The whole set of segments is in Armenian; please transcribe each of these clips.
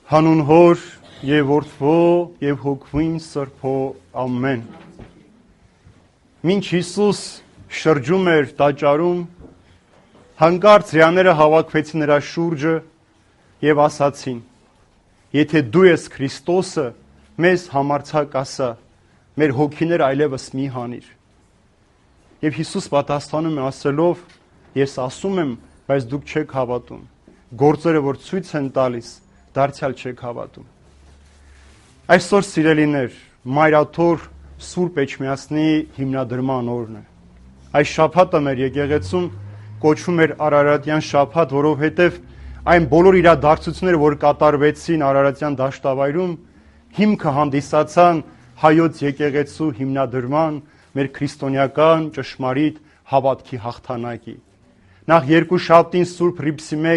Հանուն Հոր եւ Որդվո եւ Հոգվին Սրբո ամեն։ Մինչ Հիսուս շրջում էր տաճարում, հանկարծ հրեաները հավաքվեցին նրա շուրջը եւ ասացին. Եթե դու ես Քրիստոսը, մեզ համարձակ ասա, մեր հոգիները այլևս մի հանիր։ Եվ Հիսուս պատասխանում է ասելով. Ես ասում եմ, բայց դուք չեք հավատում։ Գործերը, որ ցույց են տալիս, դարձյալ չեք հավատում։ Այսօր սիրելիներ, Մայրաթոր Սուրբ Էջմիածնի հիմնադրման օրն է։ Այս շաբաթը մեր եկեղեցում կոչվում էր Արարատյան շաբաթ, որովհետև այն բոլոր իրադարձությունները, որ կատարվեցին Արարատյան դաշտավայրում, հիմքը հանդիսացան հայոց եկեղեցու հիմնադրման, մեր քրիստոնեական ճշմարիտ հավատքի հաղթանակի։ Նախ երկուշաբթին Սուրբ Հռիփսիմե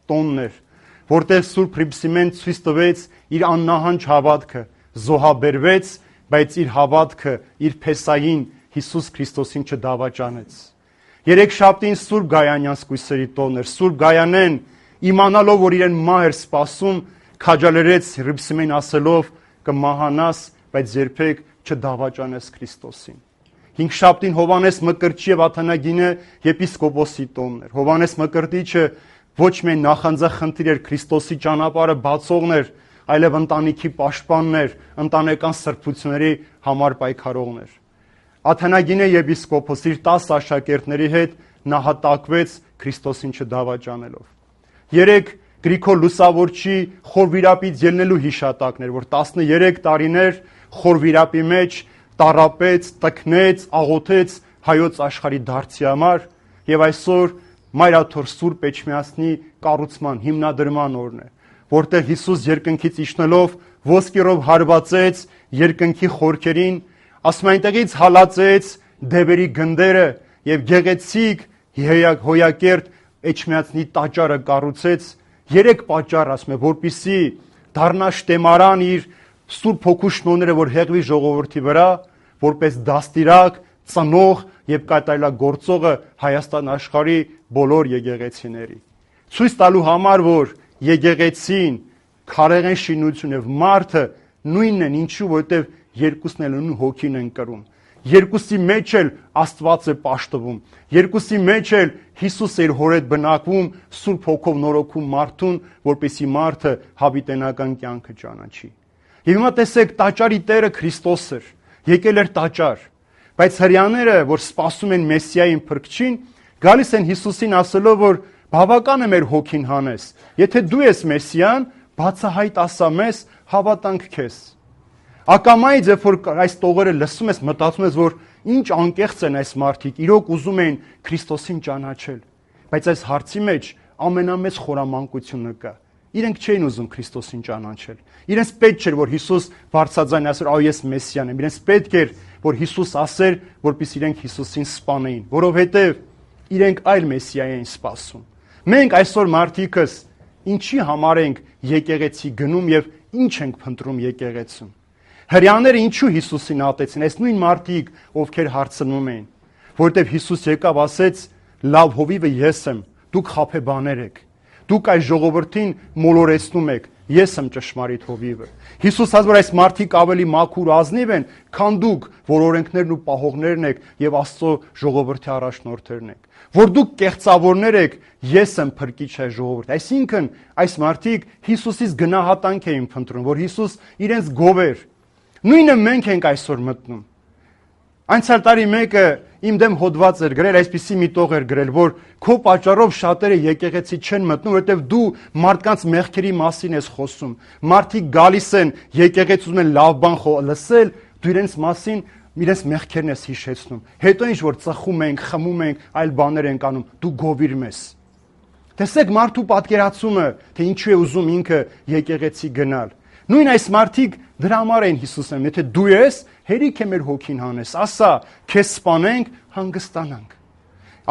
տոնն էր, որտեղ Սուրբ Հռիփսիմեն ցույց տվեց իր աննահանջ հավատքը, զոհաբերվեց, բայց իր հավատքը, իր փեսային Հիսուս Քրիստոսին չդավաճանեց։ Երեքշաբթին Սուրբ Գայանյան սկույսերի տոնն էր, Սուրբ Գայանեն իմանալով, որ իրեն մահ էր սպասում, քաջալերեց Հռիփսիմեն ասելով. կմահանաս, բայց երբեք չդավաճանես Քրիստոսին։ Հինգշաբթին Հովհաննես Մկրտչի եւ Աթանագինե եպիսկոպոսի տոնն էր։ Հովհաննես Մկրտիչը ոչ միայն նախանձախնդիր էր Քրիստոսի ճանապարհը բացողն էր, այլև ընտանիքի պաշտպանն էր, ընտանեկան սրբությունների համար պայքարողն էր։ Աթանագինե եպիսկոպոս իր 10 աշակերտների հետ նահատակվեց Քրիստոսին չդավաճանելով։ 3 Գրիգոր Լուսավորչի խորվիրապից ելնելու հիշատակներ, որ 13 տարիներ խորվիրապի մեջ տարապեց, տքնեց, աղոթեց հայոց աշխարհի դարձի համար, եւ այսօր Մայրաթոր Սուրբ Էջմիածնի կառուցման հիմնադրման օրն է, որտեղ Հիսուս երկնքից իջնելով ոսկերով հարվածեց երկնքի խորքերին, ասում այնտեղից հալածեց դևերի գնդերը եւ գեղեցիկ հոյակերտ Էջմիածնի տաճարը կառուցեց 3 պատճառ, ասում է, որպիսի դառնա շտեմարան իր Սուրբ Հոգու շնորհները, որ հեղվի ժողովրդի վրա, որպես դաստիրակ, ծնող եւ կատարելագործողը Հայաստան աշխարհի բոլոր եկեղեցիների։ Ցույց տալու համար, որ եկեղեցին, քարեղեն շինություն եւ մարդը նույնն են, ինչու, որտեւ երկուսն էլ նույն հոգին են կրում։ Երկուսի մեջ էլ Աստված է պաշտվում։ Երկուսի մեջ էլ Հիսուս էր հոր հետ բնակվում, Սուրբ Հոգով նորոգում մարդուն, որպեսզի մարդը հավիտենական կյանքը ճանաչի։ Եվ հիմա տեսեք, տաճարի Տերը Քրիստոս էր, եկել էր տաճար, բայց հրեաները, որ սպասում են Մեսիային Փրկչին, գալիս են Հիսուսին ասելով, որ բավական է մեր հոգին հանես։ Եթե դու ես Մեսիան, բացահայտ ասա մեզ, հավատանք քեզ։ Ակամայից, երբ որ այս տողերը լսում ես, մտածում ես, որ ինչ անկեղծ են այս մարդիկ, իրոք ուզում են Քրիստոսին ճանաչել, բայց այս հարցի մեջ ամենամեծ խորամանկությունը կա։ Իրենք չէին ուզում Քրիստոսին ճանաչել։ Իրենց պետք չէր, որ Հիսուս բարձրաձայն ասեր, «Այ ես Մեսիան եմ»։ Իրենց պետք էր, որ Հիսուս ասեր, որպեսզի իրենք Հիսուսին սպանեին, որովհետև իրենք այլ Մեսիա էին սպասում։ Մենք այսօր մարդիկս ինչի համար ենք եկեղեցի գնում եւ ինչ ենք փնտրում եկեղեցում։ Հրեաները ինչու Հիսուսին ատեցին, այս նույն մարդիկ, ովքեր հարցնում էին, որտեվ Հիսուս եկավ ասեց. «Լավ հովիվը ես եմ, դուք խաբեբաներ եք, դուք այս ժողովրդին մոլորեցնում եք, ես եմ ճշմարիտ հովիվը»։ Հիսուս ասաց, որ այս մարդիկ ավելի մաքուր ազնիվ են, քան դուք, որ օրենքներն ու պահողներն եք եւ Աստծո ժողովրդի առաջնորդներն եք։ Որ դուք կեղծավորներ եք, ես եմ փրկիչ այս ժողովրդի։ Այսինքն այս մարդիկ Հիսուսից գնահատանք էին փնտրում, որ Հիսուս իրենց գովեր։ Նույնը մենք ենք այսօր մտնում։ Անցյալ տարի մեկը իմ դեմ հոդված էր գրել, այսպիսի մի տող էր գրել, որ քո պատճառով շատերը եկեղեցի չեն մտնում, որովհետև դու մարդկանց մեղքերի մասին ես խոսում։ Մարդիկ գալիս են եկեղեցում են լավ բան լսել, դու իրենց մասին իրենց մեղքերն ես հիշեցնում։ Հետո ինչ որ ծխում ենք, խմում ենք, այլ բաներ ենք անում, դու գովիր մեզ։ Տեսեք մարդու պատկերացումը, թե ինչու է ուզում ինքը եկեղեցի գնալ։ Նույն այս մարդիկ դրա համար են Հիսուսին, եթե դու ես, հերիք է մեր հոգին հանես, ասա, քեզ սպանենք, հանգստանանք։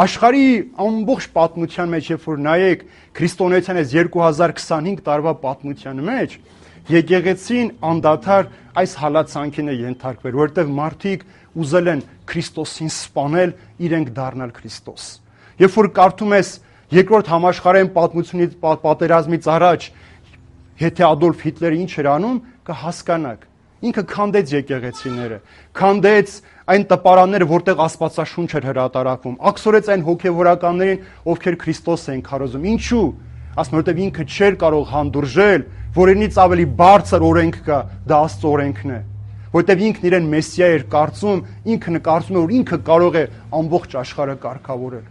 Աշխարհի ամբողջ պատմության մեջ, երբ որ նայեք քրիստոնեության այս 2025 տարվա պատմության մեջ, եկեղեցին անդադար այս հալածանքին է ենթարկվել, որովհետև մարդիկ ուզել են Քրիստոսին սպանել, իրենք դառնալ Քրիստոս։ Երբ որ կարդում ես Երկրորդ համաշխարհային պատմությունից պատերազմից առաջ Եթե Ադոլֆ Հիտլերը ինչ էր անում, կհասկանաք։ Ինքը քանդեց եկեղեցիները, քանդեց այն տպարանները, որտեղ Աստվածաշունչ էր հրատարակվում, աքսորեց այն հոգևորականներին, ովքեր Քրիստոս էին քարոզում։ Ինչու՞։ Ասում որտեղ ինքը չէր կարող հանդուրժել, որ իրենից ավելի բարձր օրենք կա, դա Աստծո օրենքն է։ Որտեղ ինքն իրեն Մեսիա էր կարծում, ինքը կարծում էր, որ ինքը կարող է ամբողջ աշխարհը կարգավորել։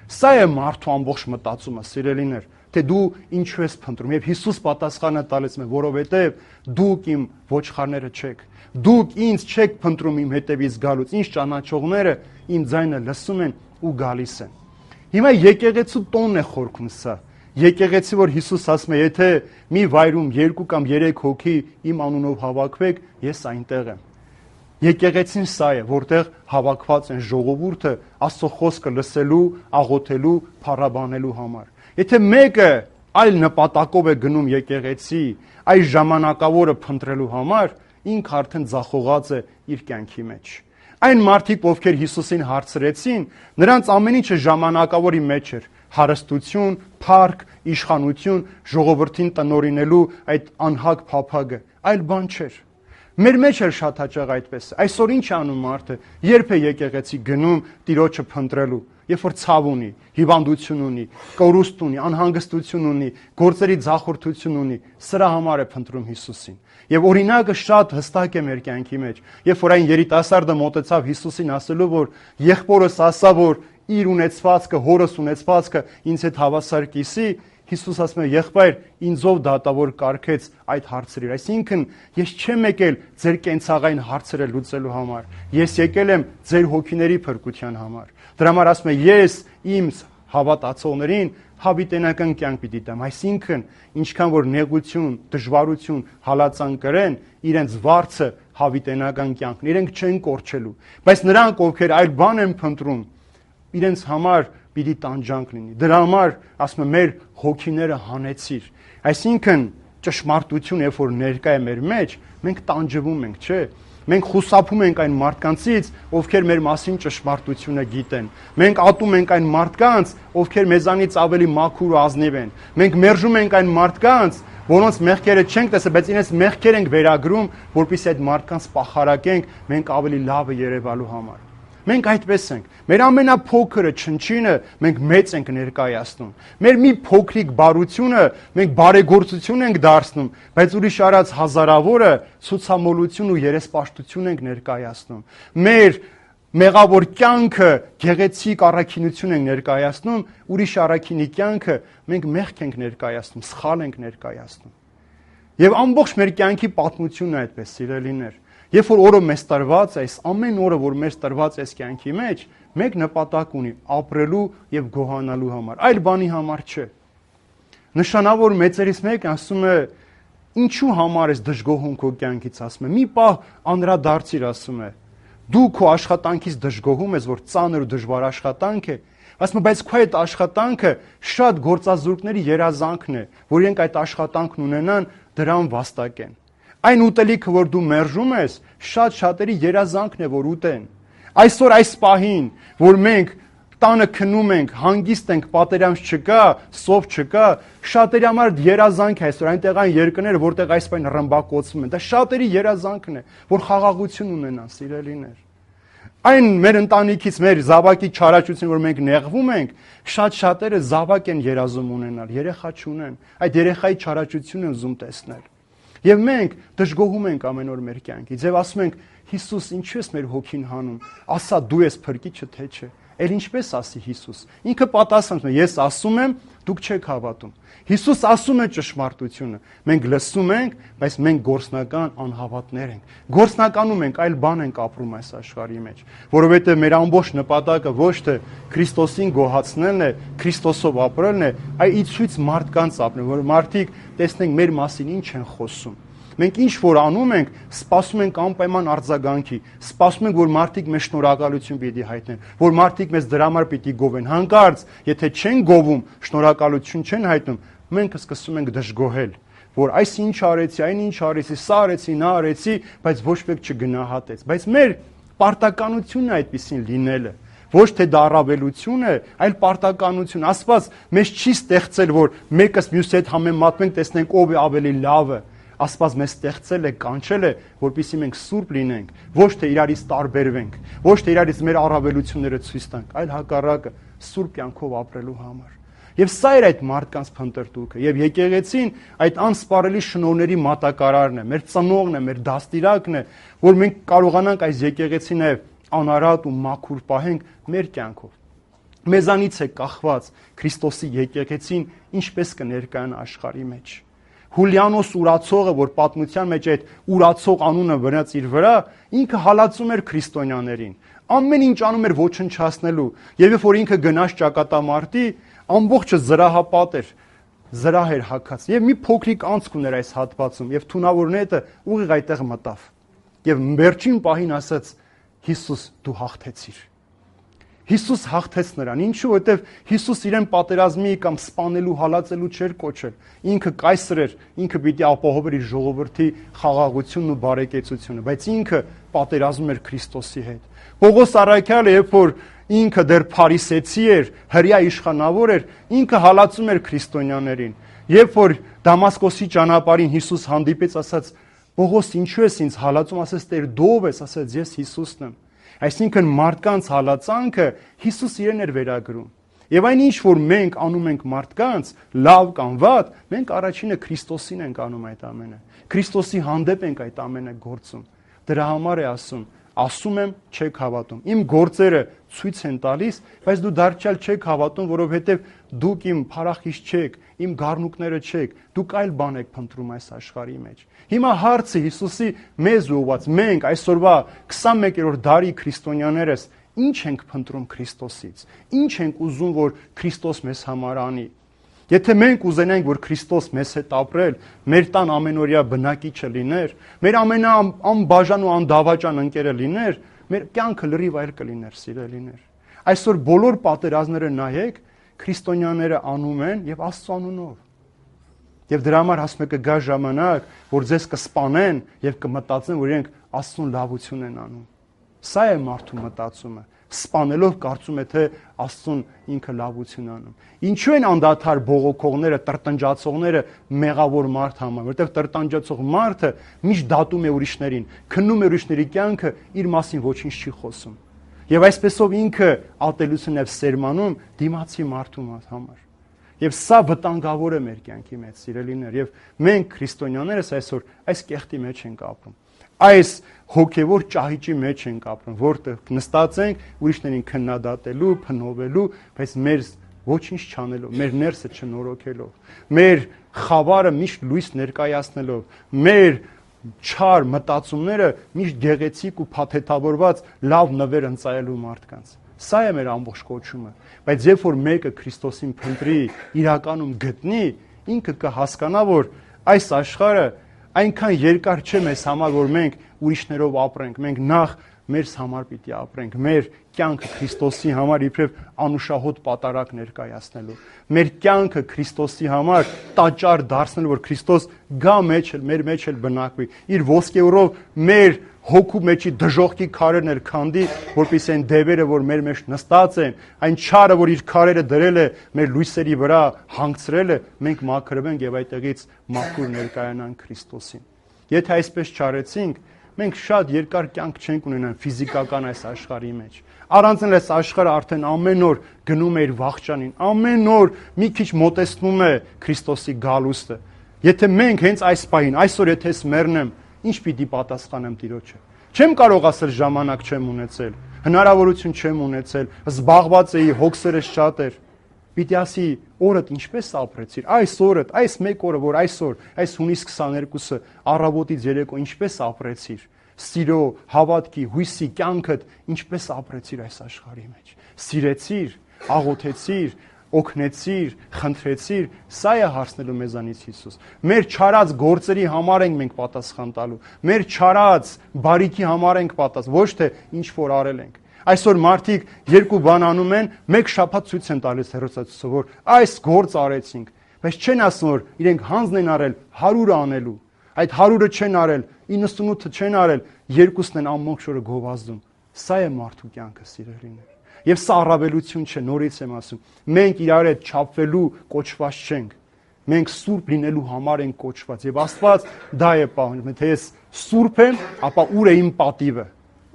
Սա է մարդու ամբողջ մտածումը, սիրելիներ, թե դու ինչու ես փնտրում։ Եվ Հիսուս պատասխանը տալիս է, որովհետև դուք իմ ոչխարները չեք։ Դուք ինձ չեք փնտրում իմ հետևից գալուց, ինձ ճանաչողները իմ ձայնը լսում են ու գալիս են։ Հիմա եկեղեցու տոնն է խորքում սա։ Եկեղեցի, որ Հիսուս ասում է, եթե մի վայրում 2 կամ 3 հոգի իմ անունով հավաքվեք, ես այնտեղ եմ։ Եկեղեցին սա է, որտեղ հավաքված են ժողովուրդը Աստծո խոսքը լսելու, աղոթելու, փառաբանելու համար։ Եթե մեկը այլ նպատակով է գնում եկեղեցի, այս ժամանակավորը փնտրելու համար, ինքը արդեն ձախողած է իր կյանքի մեջ։ Այն մարդիկ, ովքեր Հիսուսին հարցրեցին, նրանց ամեն ինչը ժամանակավորի մեջ էր՝ հարստություն, փառք, իշխանություն, ժողովրդին տնօրինելու այդ անհագ փափագը, այլ բան չէր։ Մեր մեջ էլ շատ հաճախ այդպես է։ Այսօր ինչ անում մարդը, երբ է եկեղեցի գնում Տիրոջը փնտրելու, երբ որ ցավ ունի, հիվանդություն ունի, կորուստ ունի, անհանգստություն ունի, գործերի ձախորդություն ունի, սրա համար է փնտրում Հիսուսին։ Եվ օրինակը շատ հստակ է մեր կյանքի մեջ։ Երբ որ այն երիտասարդը մոտեցավ Հիսուսին ասելու, որ եղբորս ասա, որ իր ունեցվածքը, հորս ունեցվածքը ինձ հետ հավասար կիսի, Հիսուս ասում է, եղբայր, ինձով դատավոր կարգեց այդ հարցերը։ Այսինքն, ես չեմ եկել ձեր կենցաղային հարցերը լուծելու համար։ Ես եկել եմ ձեր հոգիների փրկության համար։ Դրա համար ասում է, ես իմ հավատացողներին հավիտենական կյանք պիտի տամ։ Այսինքն, ինչքան որ նեղություն, դժվարություն, հալածան կրեն, իրենց վարձը հավիտենական կյանքն, իրենք չեն կորչելու։ Բայց նրանք, ովքեր այլ բան են փնտրում, իրենց համար պիտի տանջանք լինի։ Դրա համար ասում եմ, մեր հոգիները հանեցիր։ Այսինքն ճշմարտություն, երբ որ ներկա է մեր մեջ, մենք տանջվում ենք, չէ՞։ Մենք խուսափում ենք այն մարդկանցից, ովքեր մեր մասին ճշմարտությունը գիտեն։ Մենք ատում ենք այն մարդկանց, ովքեր մեզանից ավելի մաքուր ու ազնիվ են։ Մենք մերժում ենք այն մարդկանց, որոնց մեղքերը չենք տեսել, բայց իրենց մեղքեր ենք վերագրում, որպեսզի այդ մարդկանց պախարակենք մենք ավելի լավը երևալու համար։ Մենք այդպես ենք։ Մեր ամենափոքրը չնչինը մենք մեծ ենք ներկայացնում։ Մեր մի փոքրիկ բարությունը մենք բարեգործություն ենք դարձնում, բայց ուրիշ արած հազարավորը ցուցամոլություն ու երեսպաշտություն ենք ներկայացնում։ Մեր մեղավոր կյանքը գեղեցիկ առաքինություն ենք ներկայացնում, ուրիշ առաքինի կյանքը մենք մեղք ենք ներկայացնում, սխալ ենք ներկայացնում։ Եվ ամբողջ մեր կյանքի պատմությունն է այդպես, սիրելիներ։ Երբ որ օրը մեզ տրված է, այս ամեն օրը, որ մեզ տրված է այս կյանքի մեջ, մեկ նպատակ ունի՝ ապրելու եւ գոհանալու համար, այլ բանի համար չէ։ Նշանավոր մեծերից մեկն ասում է, ինչու համար ես դժգոհում քո կյանքից, ասում է, մի պահ անդրադարձիր, ասում է, դու քո աշխատանքից դժգոհում ես, որ ծանր ու դժվար աշխատանք է, ասում է, բայց քո այդ աշխատանքը շատ գործազուրկների երազանքն է, որ իրենք այդ աշխատանքն ունենան, դրան վաստակեն։ Այն ուտելիքը, որ դու մերժում ես, շատ շատերի երազանքն է, որ ուտեն։ Այսօր այս պահին, որ մենք տանը քնում ենք, հանգիստ ենք, պատերազմ չկա, սով չկա, շատերի համար երազանք է այսօր, այնտեղ այն երկրները, որտեղ այս պահին ռմբակոծվում են, դա շատերի երազանքն է, որ խաղաղություն ունենան, սիրելիներ։ Այն մեր ընտանիքից, մեր զավակի չարաճություն, որ մենք նեղվում ենք, շատ-շատերը զավակ են երազում ունենալ, երեխա չունեն, այդ երեխայի չարաճությունն են ուզում տեսնել։ Եվ մենք դժգոհում ենք ամեն օր մեր կյանքից եւ ասում ենք Հիսուս, ինչու ես մեր հոգին հանում, ասա դու ես փրկիչը թե չէ։ Էլ ինչպես ասի Հիսուս։ Ինքը պատասխանում է, ես ասում եմ, դուք չեք հավատում։ Հիսուս ասում է ճշմարտությունը։ Մենք լսում ենք, բայց մենք գործնական անհավատներ ենք։ Գործնականում ենք, այլ բան ենք ապրում այս աշխարհի մեջ, որովհետեւ մեր ամբողջ նպատակը ոչ թե Քրիստոսին գոհացնելն է, Քրիստոսով ապրելն է, այլ ի ցույց մարդկանց ապրել, որ մարդիկ տեսնենք մեր մասին ինչ են խոսում։ Մենք ինչ որ անում ենք, սպասում ենք անպայման արձագանքի, սպասում ենք, որ մարդիկ մեզ շնորհակալություն պիտի հայտնեն, որ մարդիկ մեզ դրա համար պիտի գովեն։ Հանկարծ, եթե չեն գովում, շնորհակալություն չեն հայտնում, մենք սկսում ենք դժգոհել, որ այս ինչ արեցի, այն ինչ արեցի, սա արեցի, նա արեցի, բայց ոչ մեկ չգնահատեց։ Բայց մեր պարտականությունն է այդպեսին լինելը, Ոչ թե դա առավելություն է, այլ պարտականություն։ Աստված մեզ չի ստեղծել, որ մեկս մյուսի հետ համեմատվենք, տեսնենք ով է ավելի լավը։ Աստված մեզ ստեղծել է, կանչել է, որպեսզի մենք սուրբ լինենք, ոչ թե իրարից տարբերվենք, ոչ թե իրարից մեր առավելությունները ցույց տանք, այլ հակառակը սուրբ կյանքով ապրելու համար։ Եվ սա էր այդ մարդկանց փնտրտուքը։ Եվ եկեղեցին այդ անսպառելի շնորհների մատակարարն է, մեր ծնողն է, մեր դաստիարակն է, որ մենք կարողանանք այս եկեղեցին անարատ ու մաքուր պահենք մեր կյանքով։ Մեզանից է կախված Քրիստոսի եկեղեցին ինչպես կներկայանա աշխարհի մեջ։ Հուլիանոս ուրացողը, որ պատմության մեջ այդ ուրացող անունը վրաց իր վրա, ինքը հալածում էր քրիստոնյաներին։ Ամեն ինչ անում էր ոչնչացնելու։ Եվ երբ որ ինքը գնաց ճակատամարտի, ամբողջը զրահապատ էր, զրահ էր հագած։ Եվ մի փոքրիկ անցք ուներ այս հատվածում, եւ թունավորնետը ուղիղ այդտեղ մտավ։ Եվ վերջին պահին ասաց. Հիսուս, դու հաղթեցիր։ Հիսուս հաղթեց նրան։ Ինչու՞, որովհետև Հիսուս իրեն պատերազմի կամ սպանելու, հալածելու չէր կոչել։ Ինքը կայսր էր, ինքը պիտի ապահովեր իր ժողովրդի խաղաղությունն ու բարեկեցությունը, բայց ինքը պատերազմում էր Քրիստոսի հետ։ Պողոս առաքյալը, երբ որ ինքը դեռ փարիսեցի էր, հրյա իշխանավոր էր, ինքը հալածում էր քրիստոնյաներին։ Երբ որ Դամասկոսի ճանապարհին Հիսուս հանդիպեց, ասաց. Պողոս, ինչու ես ինձ հալածում, ասաց. Տեր, դու ով ես, ասաց. Ես Հիսուսն եմ։ Այսինքն մարդկանց հալածանքը Հիսուս իրեն էր վերագրում։ Եվ այն ինչ որ մենք անում ենք մարդկանց, լավ կամ վատ, մենք առաջինը Քրիստոսին ենք անում այդ ամենը։ Քրիստոսի հանդեպ ենք այդ ամենը գործում։ Դրա համար է ասում եմ, չեք հավատում։ Իմ գործերը ցույց են տալիս, բայց դու դարձյալ չեք հավատում, որովհետև դուք իմ փառախիչ չեք, իմ գառնուկները չեք, դուք այլ բան եք փնտրում այս աշխարհի մեջ։ Հիմա հարցը Հիսուսի մեզ ուղված, մենք այսօրվա 21-րդ դարի քրիստոնյաներս ինչ ենք փնտրում Քրիստոսից։ Ինչ ենք ուզում, որ Քրիստոս մեզ համար անի։ Եթե մենք ուզենանք, որ Քրիստոս մեզ հետ ապրել, մեր տան ամենօրյա բնակիչը լիներ, մեր ամենաանբաժան ու անդավաճան ընկերը լիներ, մեր կյանքը լրիվ այլ կլիներ, սիրելիներ։ Այսօր բոլոր պատերազմները նայեք, քրիստոնյաները անում են եւ Աստծո անունով։ Եվ դրա համար ասում է կգա ժամանակ, որ ձեզ կսպանեն եւ կմտածեն, որ իրենք Աստծուն լավություն են անում։ Սա է մարդու մտածումը։ Սպանելով կարծում է, թե Աստծուն ինքը լավություն անում։ Ինչու են անդադար բողոքողները, տրտնջացողները մեղավոր մարդ համարում, որտեղ տրտնջացող մարդը միշտ դատում է ուրիշներին, քննում է ուրիշների կյանքը, իր մասին ոչինչ չի խոսում։ Եվ այսպեսով ինքը ատելություն է սերմանում դիմացի մարդու համար։ Եվ սա վտանգավոր է մեր կյանքի մեջ, սիրելիներ, եւ մենք քրիստոնյաներս այսօր այս կեղտի մեջ ենք ապրում։ Այս հոգևոր ճահիճի մեջ ենք ապրում, որտեղ նստած ենք ուրիշներին քննադատելու, փնովելու, բայց մեր ոչինչ չանելով, մեր ներսը չնորոգելով, մեր խավարը միշտ լույս ներկայացնելով, մեր չար մտածումները միշտ գեղեցիկ ու փաթեթավորված լավ նվեր ընծայելու մարդկանց։ Սա է մեր ամբողջ կոչումը, բայց երբ որ մեկը Քրիստոսին փնտրի, իրականում գտնի, ինքը կհասկանա, որ այս աշխարհը այնքան երկար չէ մեզ համար, որ մենք ուրիշներով ապրենք, մենք նախ մեր համար պիտի ապրենք, մեր կյանքը Քրիստոսի համար իբրև անուշահոտ պատարակ ներկայացնելու, մեր կյանքը Քրիստոսի համար տաճար դարձնելու, որ Քրիստոս գա մեր մեջ էլ բնակվի, իր ոսկեորով մեր հոգու մեջի դժոխքի քարերն էլ քանդի, որպեսզի այն դևերը, որ մեր մեջ նստած են, այն չարը, որ իր քարերը դրել է մեր լույսերի վրա, հանգցրել է, մենք մաքրվենք եւ այդտեղից մաքուր ներկայանանք Քրիստոսին։ Եթե այսպես չարեցինք, մենք շատ երկար կյանք չենք ունենա ֆիզիկական այս աշխարհի մեջ։ Առանց այս աշխարհը արդեն ամեն օր գնում է իր վախճանին, ամեն օր մի քիչ մոտեցնում է Քրիստոսի գալուստը։ Եթե մենք հենց այս պահին, այսօր եթե ես մեռնեմ, ինչ պիտի պատասխանեմ Տիրոջը։ Չեմ կարող ասել ժամանակ չեմ ունեցել, հնարավորություն չեմ ունեցել, զբաղված էի, հոգսերս շատ էր։ Պիտի ասի օրդ ինչպես ապրեցիր, այս օրդ, այս մեկ օրը, որ այսօր, այս հունիս 22-ը առավոտից երեկո ինչպես ապրեցիր, սիրո, հավատքի, հույսի կյանքդ ինչպես ապրեցիր այս աշխարհի մեջ։ Սիրեցիր, աղոթեցիր, օգնեցիր, խնդրեցիր, սա է հարցնելու մեզանից Հիսուս։ Մեր չարած գործերի համար ենք մենք պատասխան տալու։ Մեր չարած բարիքի համար ենք պատասխան, ոչ թե ինչ որ արել ենք։ Այսօր մարդիկ երկու բան անում են, մեկ շաբաթ ցույց են տալիս հեռուստացույցով, որ այս գործ արեցինք, բայց չեն ասում, որ իրենք հանձն են արել 100-ը անելու։ Այդ 100-ը չեն արել, 98-ը չեն արել, երկուսն են ամբողջ օրը գովազդում։ Սա է մարդու կյանքը, սիրելիներ։ Եվ սա առավելություն չէ, նորից եմ ասում։ Մենք իրար հետ չափվելու կոչված չենք։ Մենք սուրբ լինելու համար ենք կոչված եւ Աստված դա է պահանջում, թե ես սուրբ եմ, ապա ուր է իմ պատիվը։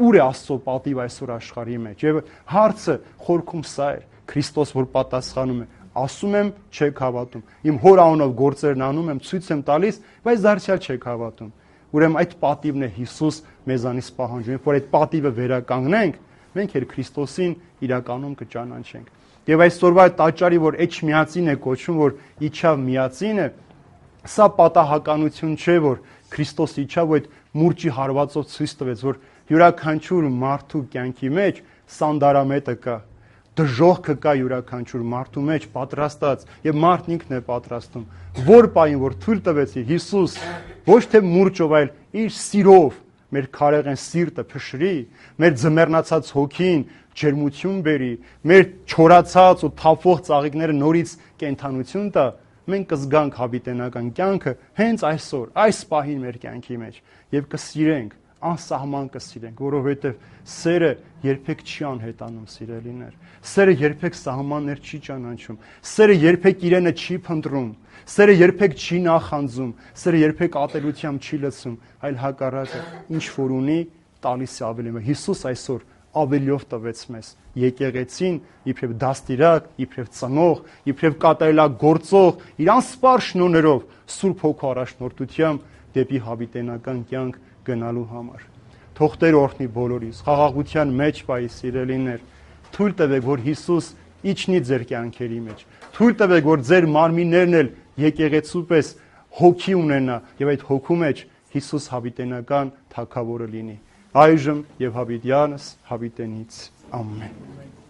Ուր է Աստծո պատիվը այսօր աշխարհի մեջ։ Եվ հարցը խորքում սա է, Քրիստոս որ պատասխանում է, ասում եմ, չեք հավատում։ Իմ հոր անունով գործերն անում եմ, ցույց եմ տալիս, բայց դարձյալ չեք հավատում։ Ուրեմն այդ պատիվն է Հիսուս մեզանից պահանջում, որ այդ պատիվը վերականգնենք, մենք էլ Քրիստոսին իրականում կճանաչենք։ Եվ այսօրվա տաճարի, որ Էջմիածին է կոչվում, որ իջավ միածին է, սա պատահականություն չէ, որ Քրիստոս իջավ ու այդ մուրճի հարվածով ցույց տվեց, որ յուրաքանչյուր մարդու կյանքի մեջ սանդարամետը կա, դժողքը կա յուրաքանչյուր մարդու մեջ պատրաստած եւ մարդն ինքն է պատրաստում, որ պահին որ թույլ տվեցի Հիսուս ոչ թե մուրճով, այլ իր սիրով մեր քարեղեն սիրտը փշրի, մեր ձմեռնացած հոգին ջերմություն բերի, մեր չորացած ու թափվող ծաղիկները նորից կենթանություն տա, մենք կզգանք հավիտենական կյանքը հենց այսօր, այս պահին մեր կյանքի մեջ եւ կսիրենք, անսահման կսիրենք, որովհետեւ սերը երբեք չի անհետանում, սիրելիներ։ Սերը երբեք սահմաններ չի ճանաչում, սերը երբեք իրենը չի փնտրում, սերը երբեք չի նախանձում, սերը երբեք ատելությամբ չի լցում, այլ հակառակը, ինչ որ ունի, տալիս է ավելի։ Հիսուս այսօր ավելիով տվեց մեզ եկեղեցին, իբրև դաստիրակ, իբրև ծնող, իբրև կատարելագործող, իր անսպար շնորհներով Սուրբ Հոգու առաջնորդությամբ դեպի հավիտենական կյանք գնալու համար։ Թող Տեր օրհնի բոլորիս, խաղաղության մեջ պահի, սիրելիներ, թույլ տվեք, որ Հիսուս իջնի ձեր կյանքերի մեջ, թույլ տվեք, որ ձեր մարմիններն էլ եկեղեցու պես հոգի ունենա եւ այդ հոգու մեջ Հիսուս հավիտենական թագավորը լինի։ Այժմ եւ հավիտյանս հավիտենից ամեն։